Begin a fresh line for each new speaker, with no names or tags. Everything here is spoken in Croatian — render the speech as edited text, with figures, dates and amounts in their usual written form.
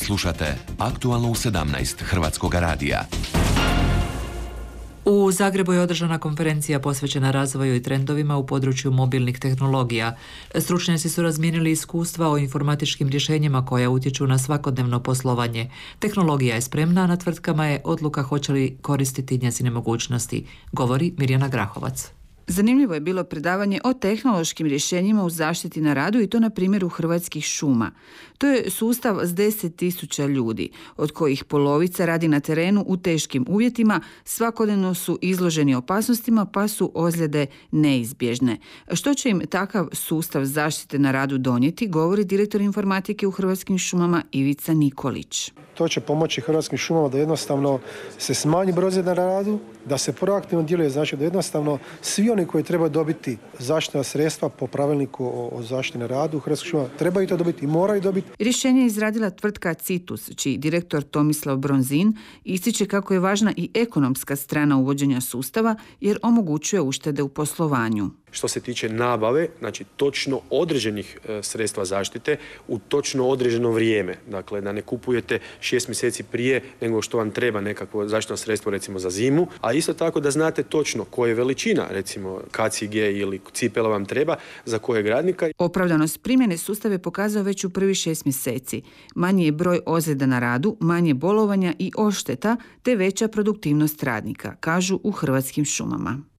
Slušate Aktualno u 17 Hrvatskoga radija.
U Zagrebu je održana konferencija posvećena razvoju i trendovima u području mobilnih tehnologija. Stručnjaci su razmijenili iskustva o informatičkim rješenjima koja utječu na svakodnevno poslovanje. Tehnologija je spremna, a na tvrtkama je odluka hoće li koristiti njezine mogućnosti, govori Mirjana Grahovac.
Zanimljivo je bilo predavanje o tehnološkim rješenjima u zaštiti na radu i to na primjeru Hrvatskih šuma. To je sustav s 10.000 ljudi, od kojih polovica radi na terenu u teškim uvjetima, svakodnevno su izloženi opasnostima pa su ozljede neizbježne. Što će im takav sustav zaštite na radu donijeti, govori direktor informatike u Hrvatskim šumama Ivica Nikolić.
To će pomoći Hrvatskim šumama da jednostavno se smanji broj ozljeda na radu, da se proaktivno djeluje, znači da jednostavno svi oni koji trebaju dobiti zaštitna sredstva po pravilniku o zaštiti na radu Hrvatskih šuma trebaju to dobiti i moraju dobiti.
Rješenje je izradila tvrtka Citus, čiji direktor Tomislav Bronzin ističe kako je važna i ekonomska strana uvođenja sustava jer omogućuje uštede u poslovanju.
Što se tiče nabave, znači točno određenih sredstva zaštite u točno određeno vrijeme. Dakle, da ne kupujete 6 mjeseci prije nego što vam treba nekakvo zaštitno sredstvo recimo za zimu, a isto tako da znate točno koja je veličina, recimo kacige ili cipela vam treba, za kojeg radnika.
Opravdanost primjene sustava je pokazao već u prvi 6 mjeseci. Manji je broj ozljeda na radu, manje bolovanja i odšteta, te veća produktivnost radnika, kažu u Hrvatskim šumama.